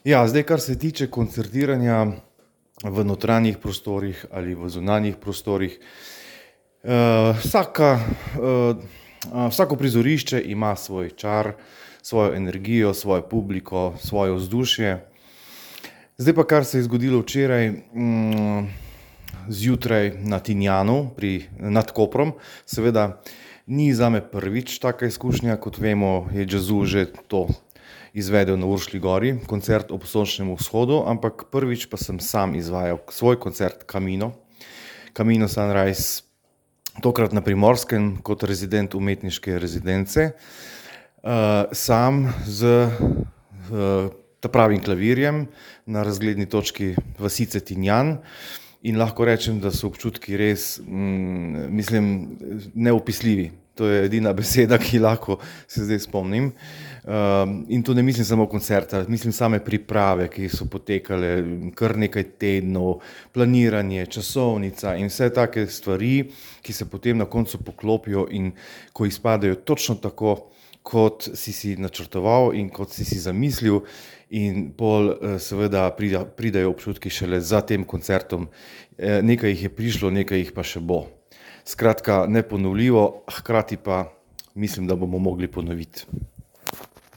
Ja, zdaj, kar se tiče koncertiranja v notranjih prostorih ali v zunanjih prostorih, vsaka, vsako prizorišče ima svoj čar, svojo energijo, svojo publiko, svoje vzdušje. Zdaj pa, kar se je zgodilo včeraj, zjutraj na Tinjanu nad Koprom, seveda ni zame prvič taka izkušnja, kot vemo, je Jazzu že to izvedel na Uršlji gori, koncert ob sončnem vzhodu, ampak prvič pa sem sam izvajal svoj koncert Camino Sunrise, tokrat na Primorskem kot rezident umetniške rezidence, sam z ta pravim klavirjem na razgledni točki vasice Tinjan. In lahko rečem, da so občutki res, neopisljivi. To je edina beseda, ki lahko se zdaj spomnim. In to ne mislim samo koncerta, mislim same priprave, ki so potekale kar nekaj tednov, planiranje, časovnica in vse take stvari, ki se potem na koncu poklopijo in ko izpadejo točno tako, kot si načrtoval in kot si zamislil, in pol seveda pridejo občutki šele za tem koncertom. Nekaj jih je prišlo, nekaj jih pa še bo. Skratka, neponovljivo, hkrati pa mislim, da bomo mogli ponoviti.